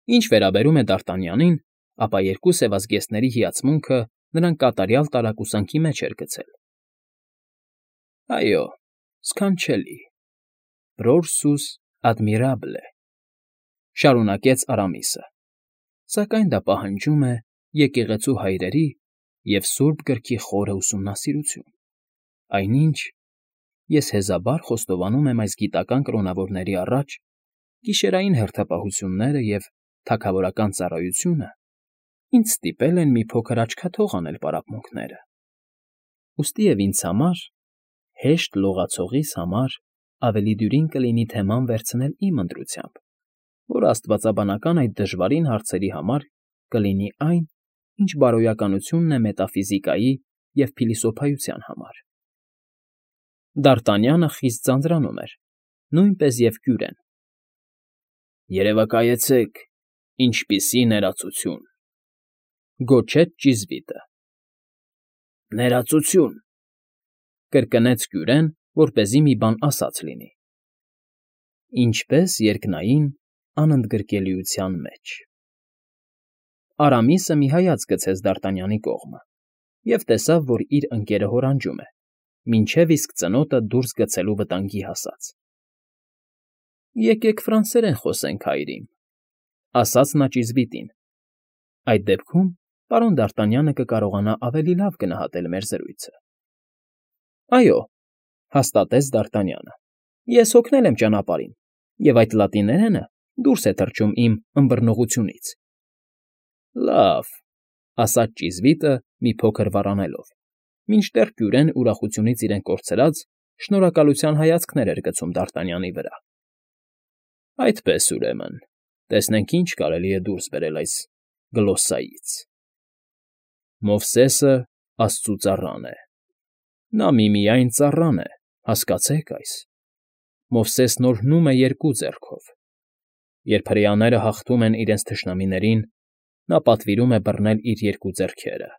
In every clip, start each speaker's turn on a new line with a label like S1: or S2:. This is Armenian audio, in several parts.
S1: Ինչ վերաբերում է Դարտանյանին, ապա երկու սևազգեստների հիացմունքը նրան կատարյալ տարակուսանքի մեջ էր գցել։ ֊ Այո, սքանչելի, Պրորսուս ադմիրաբլ է,֊ շարունակեց Արամիսը,֊ սակայն դա պահանջում է եկեղեցու հայրերի և Սուրբ Գրքի խորը ուսումնասիրություն, այնինչ ես հեզաբար խոստովանում եմ այս գիտական կրոնավորների առաջ գիշերային հերթապահությունները և թագավորական ծառայությունը ինձ ստիպել են մի փոքր աչքաթող անել պարապմունքները, ուստիև ինձ համար, հեշտ լողացողիս համար ավելի դյուրին կլինի թեման վերցնել իմ ընտրությամբ, որը աստվածաբանական այդ դժվարին հարցերի համար կլինի այն, ինչ բարոյականությունն է մետաֆիզիկայի և փիլիսոփայության համար։ Դարտանյանը խիստ ձանձրանում էր, նույնպես և Կյուրեն։ «Երևակայեցեք, ինչպիսի ներածություն,֊ գոչեց ճիզվիտը։ ֊ Ներածություն,֊ կրկնեց Կյուրեն, որպեսզի մի բան ասած լինի։ ֊ Ինչպես երկնային անընդգրկելիության մեջ…֊ Արամիսը մի հայացք գցեց Դարտանյանի կողմը և տեսավ, որ իր ընկերը հորանջում է, մինչև իսկ ծնոտը դուրս գցելու վտանգի հասած։ ֊ Եկեք ֆրանսերեն խոսենք, հայրիկ,֊ ասաց նա ճիզվիտին։ ֊ Այդ դեպքում պարոն Դարտանյանը կկարողանա ավելի լավ գնահատել մեր զրույցը։ ֊ Այո,֊ հաստատեց Դարտանյանը,֊ ես հոգնել եմ ճանապարհին, և այդ լատիներենը դուրս է թռչում իմ ըմբռնողությունից։ ֊ Լավ,֊ ասաց ճիզվիտը, մի փոքր վառանելով, մինչդեռ Կյուրեն ուրախությունից իրեն կորցրած շնորհակալության հայացքներ էր գցում Դարտանյանի վրա։ ֊ Այդպես, ուրեմն, տեսնենք ինչ կարելի է դուրս բերել այս գլոսսայից… Մովսեսը աստծու ծառան է, նա միմիայն ծառան է, հասկացեք այս… Մովսեսն օրհնում է երկու ձեռքով… Երբ հրեաները հաղթում են իրենց թշնամիներին, նա պատվիրում է բռնել իր երկու ձեռքերը,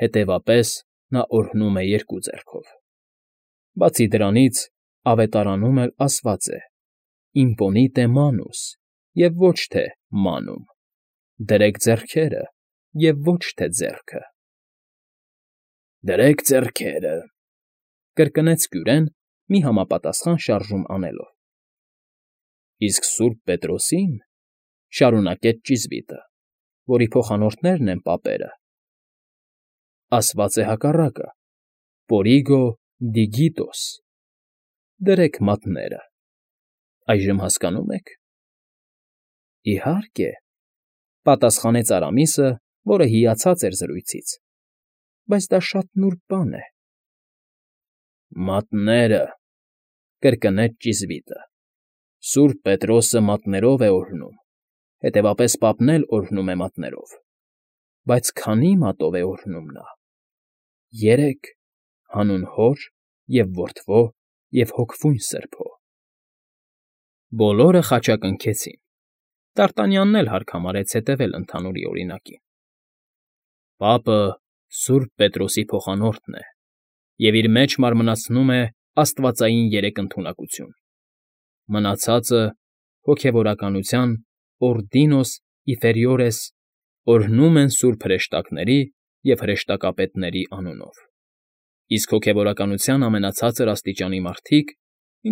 S1: հետևապես նա օրհնում է երկու ձեռքով… Բացի դրանից, ավետարանում էլ ասված է. «Իմպոնիտե մանուս» և ոչ թե «մանում», «դրեք ձեռքերը» և ոչ թե «ձեռքը»։ ֊ Դրեք ձեռքերը…֊ կրկնեց Կյուրեն, մի համապատասխան շարժում անելով։ ֊ Իսկ սուրբ Պետրոսին,֊ շարունակեց ճիզվիտը, որի փոխանորդներն են պապերը,֊ ասված է հակառակը. «Պորիգո դիգիտոս», դրեք մատները… Այժմ հասկանո՞ւմ եք։ ֊ Իհարկե,֊ պատասխանեց Արամիսը, որը հիացած էր զրույցից,֊ բայց դա շատ նուրբ բան է։ ֊ Մատները…֊ կրկնեց ճիզվիտը,֊ Սուրբ Պետրոսը մատներով է օրհնում, հետևապես պապն էլ օրհնում է մատներով, բայց քանի՞ մատով է օրհնում նա։ ֊ 3, հանուն Հոր և Որդվո և Հոգվույն Սրբո… Բոլորը խաչակնքեցին, Դարտանյանն էլ հարկ համարեց հետևել ընդհանուրի օրինակին։ Պապը սուրբ Պետրոսի փոխանորդն է և իր մեջ մարմնացնում է աստվածային երեք ընդունակություն, մնացածը հոգևորականության Օրդինոս Իֆերիորես օրհնում են սուրբ հրեշտակների և հրեշտակապետների անունով, իսկ հոգևորականության ամենացածր աստիճանի մարդիկ,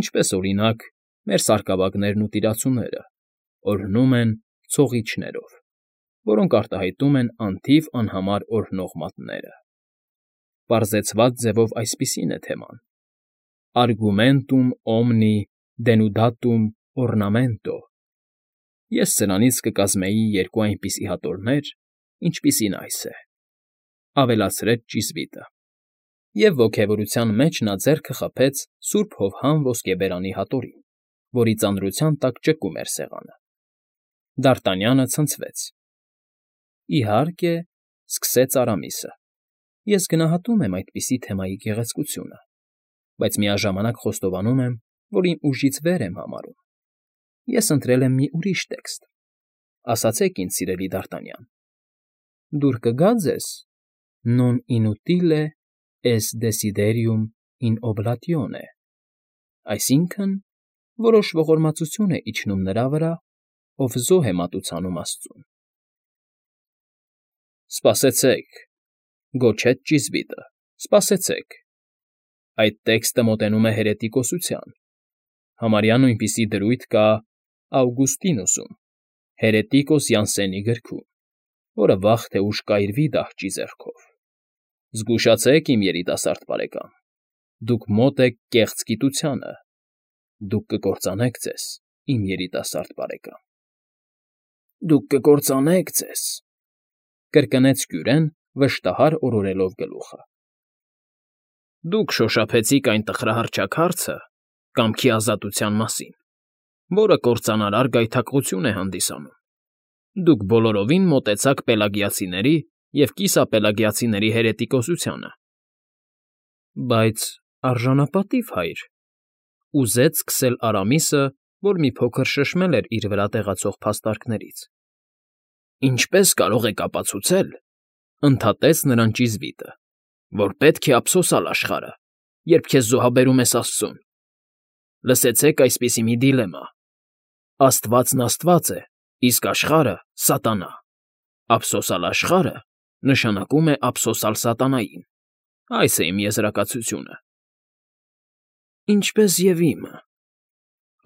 S1: ինչպես, օրինակ, մեր սարկաբագներն ու տիրացուները, օրհնում են ցողիչներով, որոնք արտահայտում են անթիվ անհամար օրհնող մատները։ Պարզեցված ձևով այսպիսին է թեման. Argumentum omni denudatum ornamento… Ես սրանից կկազմեի երկու այնպիսի հատորներ, ինչպիսին այս է,֊ ավելացրեց ճիզվիտը, և ոգևորության մեջ նա ձեռքը խփեց սուրբ հովհան ոսկեբերանի հատորին, որի ծանրության տակ ճկում էր սեղանը։ Դարտանյանը ցնցվեց։ ֊ Իհարկե,֊ սկսեց Արամիսը,֊ ես գնահատում եմ այդպիսի թեմայի գեղեցկությունը, բայց միաժամանակ խոստովանում եմ, որ իմ ուժից վեր եմ համարում։ Ես ընտրել եմ մի ուրիշ տեքստ, ասացեք ինձ, սիրելի Դարտանյան, դուր կգա՞ ձեզ non inutile est desiderium in oblatione, այսինքն՝ որոշ ողորմածություն է իջնում նրա վրա, ով զոհ է մատուցանում աստծուն։ Սպասեցեք, գոչեց ճիզվիտը, սպասեցեք։ Այդ տեքստը մոտենում է հերետիկոսության։ Համարյա նույնպիսի դրույթ կա Ավգուստինոսում, Հերետիկոս Յանսենի գրքում, որը վաղ թե ուշ կայրվի դահճի ձեռքով։ Զգուշացեք, իմ երիտասարդ բարեկամ, դուք մոտ եք կեղծ գիտությանը, դուք կկործանեք ձեզ, իմ երիտասարդ բարեկամ։ Դուք կկործանեք ձեզ, կրկնեց Կյուրեն, վշտահար օրորելով գլուխը։ Դուք շոշափեցիք այն տխրահարճակ հարցը կամքի ազատության մասին, որը կործանարար գայթակղություն է հանդիսանում։ Դուք բոլորովին մոտեցաք պելագիացիների և կիսապելագիացիների հերետիկոսությանը։ Բայց արժանապատիվ, հայր, ուզեց սկսել Արամիսը, որ մի փոքր շշմել էր իր վրա տեղացող փաստարկներից։ Ինչպե՞ս կարող եք ապացուցել, ընդհատեց նրան ճիզվիտը, որ պետք է ափսոսալ աշխարհը, երբ քեզ զոհաբերում ես Աստծուն։ Լսեցեք այսպիսի մի դիլեմա. Աստվածն Աստված է, իսկ աշխարհը՝ սատանա։ Ափսոսալ աշխարհը նշանակում է ափսոսալ սատանային։ Այս է իմ եզրակացությունը։ Ինչպես և իմը,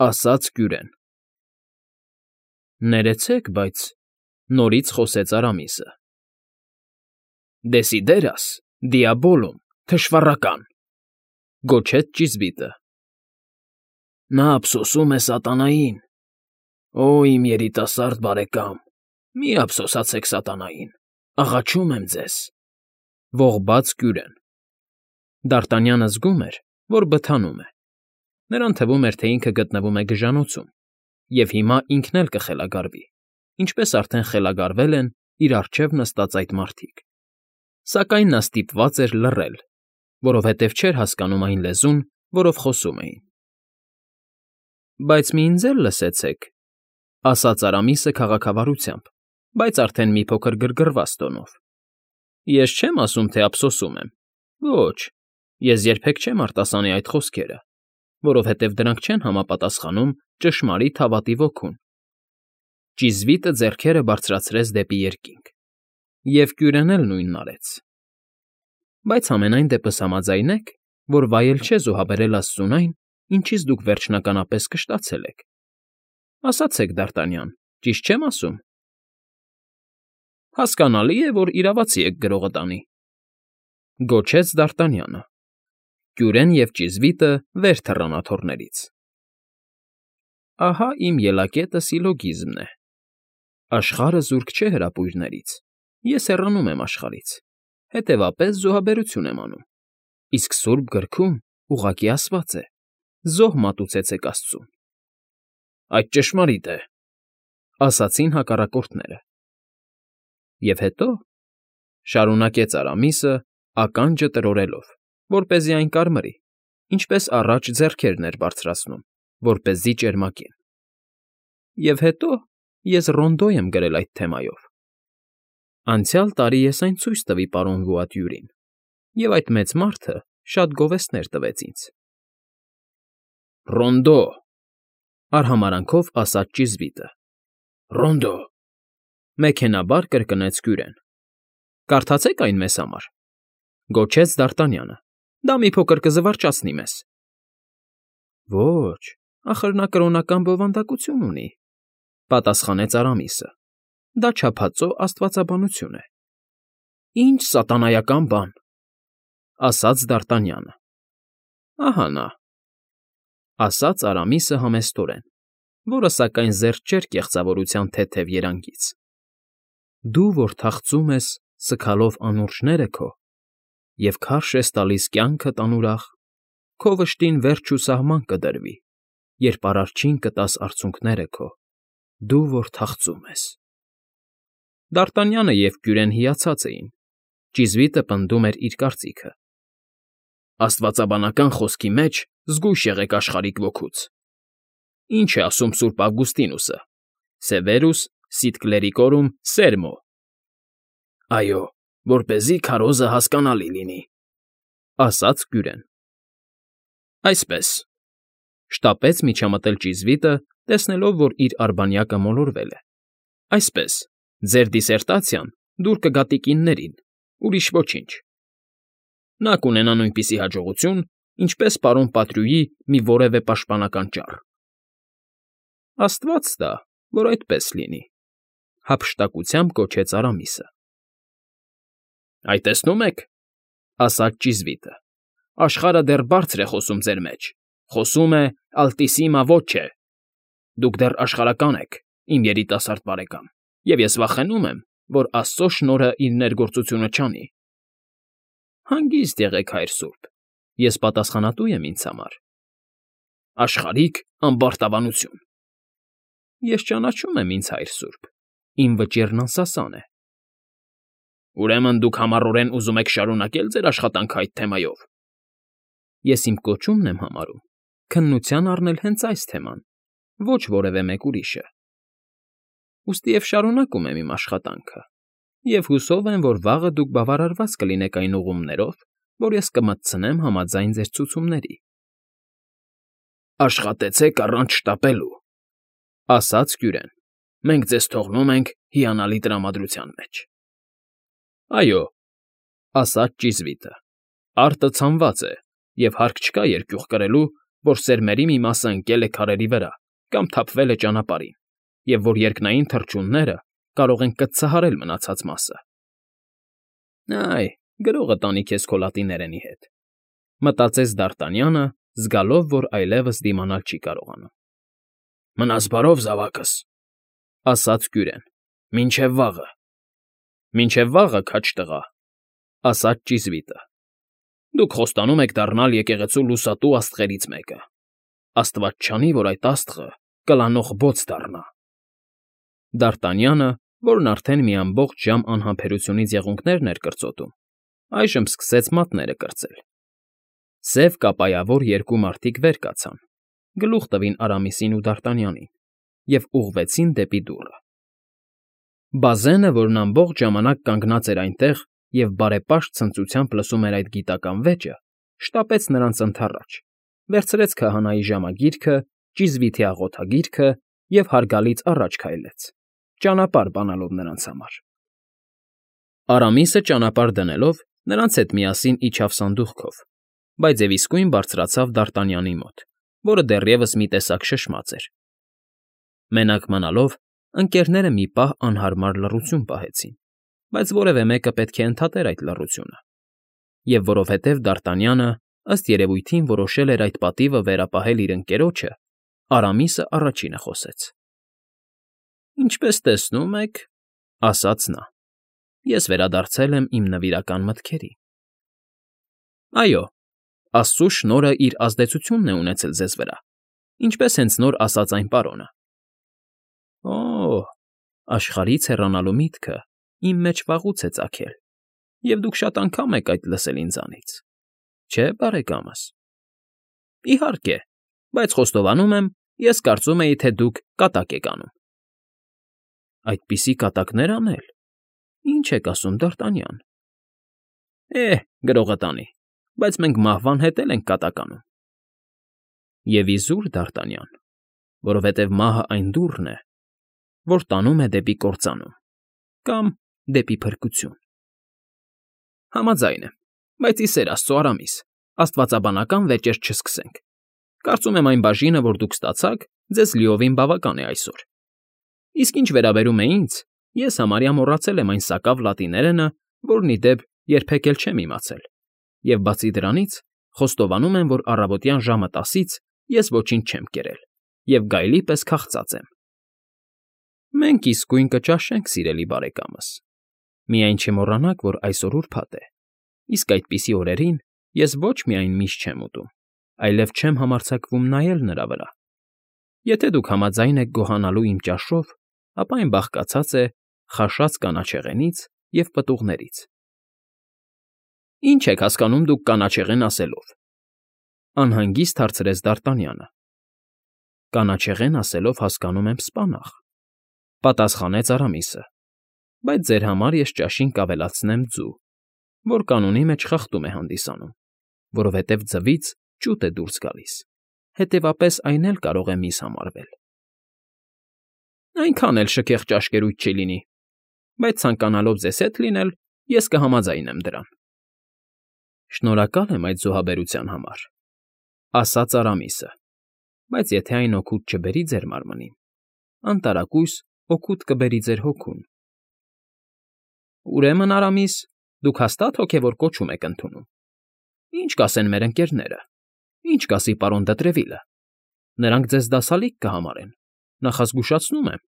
S1: ասաց Կյուրեն։ Ներեցեք, բայց նորից խոսեց Արամիսը։ Դեսիդերաս, դիաբոլոմ, թշվառական, գոչեց ճիզվիտը։ Նա ափսոսում է սատանային։ Օ, իմ երիտասարդ բարեկամ, մի ափսոսացեք սատանային, աղաչում եմ ձեզ, ողբաց Կյուրեն։ Դարտանյանը զգում էր, որ բթանում է։ Նրան թվում էր, թե ինքը գտնվում է գժանոցում, և հիմա ինքն էլ կխելագարվի, ինչպես արդեն խելագարվել են իր առջև նստած այդ մարդիկ։ Սակայն նա ստիպված էր լռել, որովհետև չէր հասկանում այն լեզուն, որով խոսում էին։ Բայց մի ինձ էլ լսեցեք, ասաց Արամիսը քաղաքավարությամբ, բայց արդեն մի փոքր գրգռված տոնով։ Ես չեմ ասում, թե ափսոսում եմ։ Ոչ, ես երբեք չեմ արտասանի այդ խոսքերը, որովհետև դրանք չեն համապատասխանում ճշմարիտ հավատի ոգուն։ Ճիզվիտը ձեռքերը բարձրացրեց դեպի երկինք, և Կյուրեն էլ նույնն արեց։ Բայց համենայն դեպս համաձայնեք, որ վայել չէ զոհաբերել Աստծուն այն, ինչից դուք վերջնականապես կշտացել եք։ Ասացեք, Դարտանյան, ճիշտ չեմ ասում։ Հասկանալի է, որ իրավացի եք գրողը տանի, գոչեց Դարտանյանը։ Կյուրեն և ճիզվիտը վեր թռան աթոռներից։ Ահա իմ ելակետը սիլոգիզմն է։ Աշխարհը զուրկ չէ հրապույրներից, ես հեռանում եմ աշխարհից, հետևապես զոհաբերություն եմ անում, իսկ Սուրբ Գրքում ուղղակի ասված է. զոհ մատուցեցեք Աստծուն։ Այդ ճշմարիտ է, ասացին հակառակորդները։ Եվ հետո, շարունակեց Արամիսը, ականջը տրորելով, որպեսզի այն կարմրի, ինչպես առաջ ձեռքերն էր բարձրացնում, որպեսզի ճերմակեն։ Եվ հետո ես ռոնդո եմ գրել այդ թեմայով։ Անցյալ տարի ես այն ցույց տվի պարոն Վուատյուրին, և այդ մեծ մարդը շատ գովեստներ տվեց ինձ։ Ռոնդո, արհամարանքով ասաց ճիզվիտը։ Ռոնդո, մեքենաբար կրկնեց Կյուրեն։ Կարդացեք այն մեզ համար, գոչեց Դարտանյանը։ Դա մի փոքր կզվարճացնի մեզ։ Ոչ, ախր նա կրոնական բովանդակություն ունի, պատասխանեց Արամիսը։ Դա չափածո աստվածաբանություն է։ Ինչ սատանայական բան, ասաց Դարտանյանը։ Ահա նա, ասաց Արամիսը համեստորեն, որը սակայն զերծ չէր կեղծավորության թեթև երանգից։ Դու, որ թախծում ես, սգալով անուրջները քո, և քարշ ես տալիս կյանքդ անուրախ, քո վշտին վերջ ու սահման կդրվի, երբ արարչին կտաս արցունքները քո, դու, որ թախծում ես։ Դարտանյանը և Կյուրեն հիացած էին, ճիզվիտը պնդում էր իր կարծիքը։ Աստվածաբանական խոսքի մեջ զգույշ եղեք աշխարհիկ ոգուց։ Ինչ է ասում Սուրբ Ավգուստինոսը. Severus sit clericorum sermo։ Այո, որպեսզի քարոզը հասկանալի լինի, ասաց Կյուրեն։ Այսպես, շտապեց միջամտել ճիզվիտը, տեսնելով, որ իր արբանյակը մոլորվել է։ Այսպես, ձեր դիսերտացիան դուր կգա տիկիններին, ուրիշ ոչինչ։ Նա կունենա նույնպիսի հաջողություն, ինչպես պարոն Պատրյուի մի որևէ պաշտպանական ճառ։ Աստված տա, որ այդպես լինի, հափշտակությամբ կոչեց Արամիսը։ Այ տեսնում եք, ասաց ճիզվիտը, աշխարհը դեռ բարձր է խոսում ձեր մեջ, խոսում է Ալտիսիմա ոչե։ Դուք դեռ աշխարհական եք, իմ երիտասարդ բարեկամ, և ես վախենում եմ, որ Աստծո շնորհը իր ներգործությունը չանի։ Հանգիստ եղեք, Հայր սուրբ, ես պատասխանատու եմ ինձ համար։ Աշխարհիկ ամբարտավանություն։ Ես ճանաչում եմ ինձ, Հայր սուրբ, իմ վճիռն անսասան է։ Ուրեմն դուք համառորեն ուզում եք շարունակել ձեր աշխատանքը այդ թեմայով։ Ես իմ կոչումն եմ համարում քննության առնել հենց այս թեման, ոչ որևէ մեկ ուրիշը։ Ուստի և շարունակում եմ իմ աշխատանքը, և հուսով եմ, որ վաղը դուք բավարարված կլինեք այն ուղումներով, որ ես կմտցնեմ համաձայն ձեր ցուցումների։ Աշխատեցեք առանց շտապելու, ասաց Կյուրեն, մենք ձեզ թողնում ենք հիանալի տրամադրության մեջ։ Այո, ասաց ճիզվիտը, արտը ցանված է, և հարկ չկա երկյուղ կրելու, որ սերմերի մի մասը ընկել է քարերի վրա կամ թափվել է ճանապարհին, և որ երկնային թռչունները կարող են կծծահարել մնացած մասը։ Այ, գրողը տանի քեզ քո լատիներենի հետ, մտածեց Դ'Արտանյանը, զգալով, որ այլևս դիմանալ չի կարողանում։ Մնաս բարով, զավակս, ասաց Կյուրեն, մինչև վաղը։ Մինչև վաղը, քաջ տղա, ասաց ճիզվիտը։ Դուք խոստանում եք դառնալ եկեղեցու լուսատու աստղերից մեկը։ Աստված չանի, որ այդ աստղը կլանող բոց դառնա։ Դ'Արտանյանը, որն արդեն մի ամբողջ ժամ անհամբերությունից եղունգներն էր կրծոտում, այժմ սկսեց մատները կրծել։ Սև կապայավոր երկու մարդիկ վեր կացան, գլուխ տվին Արամիսին ու Դ'Արտանյանին և ուղղվեցին դեպի դուռը։ Բազենը, որն ամբողջ ժամանակ կանգնած էր այնտեղ և բարեպաշտ ցնծությամբ լսում էր այդ գիտական վեճը, շտապեց նրանց ընդառաջ, վերցրեց քահանայի ժամագիրքը, ճիզվիթի աղոթագիրքը և հարգալից առաջ քայլեց, ճանապարհ բանալով նրանց համար։ Արամիսը ճանապարհ դնելով նրանց հետ միասին իջավ սանդուղքով, բայց և իսկույն բարձրացավ Դ'Արտանյանի մոտ, որը դեռևս մի տեսակ շշմած էր։ Մենակ մնալով, ընկերները մի պահ անհարմար լռություն պահեցին, բայց որևէ մեկը պետք է ընդհատեր այդ լռությունը, և որովհետև Դ'Արտանյանը, ըստ երևույթին, որոշել էր այդ պատիվը վերապահել իր ընկերոջը, Արամիսը առաջինը խոսեց։ Ինչպես տեսնում եք, ասաց նա, ես վերադարձել եմ իմ նվիրական մտքերի։ Այո, Աստծո շնորհը իր ազդեցությունն է ունեցել ձեզ վրա, ինչպես հենց նոր ասաց այն պարոնը։ Օ՜, աշխարհից հեռանալու միտքը իմ մեջ վաղուց է ծագել, և դուք շատ անգամ եք այդ լսել ինձանից, չէ՞, բարեկամս։ Իհարկե, բայց խոստովանում եմ, ես կարծում էի, թե դուք կատակ եք անում։ Այդպիսի կատակներ անել։ Ինչ եք ասում, Դ'Արտանյան։ Գրողը տանի, բայց մենք մահվան հետ էլ ենք կատականում։ Եվ իզուր, Դ'Արտանյան, որովհետև մահը այն դուռն է, որ տանում է դեպի կործանում կամ դեպի փրկություն։ Համաձայն եմ, բայց ի սեր Աստծո, Արամիս, աստվածաբանական վեճեր չսկսենք։ Կարծում եմ այն բաժինը, որ դուք ստացաք, ձեզ լիովին բավական է այսօր։ Իսկ ինչ վերաբերում է ինձ, ես համարյա մոռացել եմ այն սակավ լատիներենը, որն, ի դեպ, երբեք էլ չեմ իմացել, և բացի դրանից, խոստովանում եմ, որ առավոտյան ժամը 10-ից ես ոչինչ չեմ կերել և գայլի պես քաղցած եմ։ Մենք իսկույն կճաշենք, սիրելի բարեկամս։ Միայն չմոռանաք, որ այսօր ուրբաթ է, իսկ այդպիսի օրերին ես ոչ միայն միշտ չեմ ուտում, այլև չեմ համարձակվում նայել նրա վրա։ Եթե դուք համաձայն եք գոհանալու իմ ճաշով, ապա այն բաղկացած է խաշած կանաչեղենից և պտուղներից։ Ինչ եք հասկանում դուք կանաչեղեն ասելով, անհանգիստ հարցրեց Դ'Արտանյանը։ Կանաչեղեն ասելով հասկանում եմ սպանաղ, պատասխանեց Արամիսը, բայց ձեր համար ես ճաշին կավելացնեմ ձու, որ կանոնի մեջ խախտում է հանդիսանում, որովհետև ձվից ճուտ է դուրս գալիս, հետևապես այն էլ կարող է միս համարվել։ Այնքան էլ շքեղ ճաշկերույթ չի լինի, բայց ցանկանալով ձեզ հետ լինել, ես կհամաձայնեմ դրան։ ֊ Շնորհակալ եմ այդ զոհաբերության համար,֊ ասաց Արամիսը,֊ բայց եթե այն օգուտ չբերի ձեր մարմնին, անտարակույս օգուտ կբերի ձեր հոգուն։ ֊ Ուրեմն, Արամիս, դուք հաստա՞տ հոգևոր կոչում եք ընդունում։ Ի՞նչ կասեն մեր ընկերները, ի՞նչ կասի պարոն Դտրևիլը։ Նրանք ձեզ դասալիկ կհամարեն, նախազգուշացնում եմ։ ֊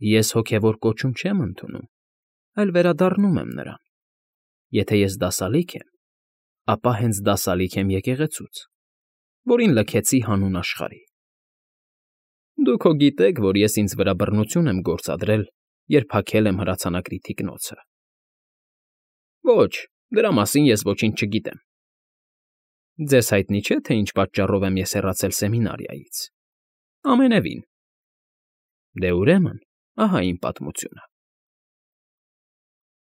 S1: Ես հոգևոր կոչում չեմ ընդունում, այլ վերադառնում եմ նրան։ Եթե ես դասալիկ եմ, ապա հենց դասալիկ եմ եկեղեցուց, որին լքեցի հանուն աշխարհի։ Դուք հո գիտեք, որ ես ինձ վրա բռնություն եմ գործադրել, երբ հագել եմ հրացանակի թիկնոցը։ ֊ Ոչ, դրա մասին ես ոչինչ չգիտեմ։ ֊ Ձեզ հայտնի չէ, թե ինչ պատճառով եմ ես հեռացել սեմինարիայից։ ֊ Ամենևին։ ֊ Դե, ուրեմն, ահա իմ պատմությունը։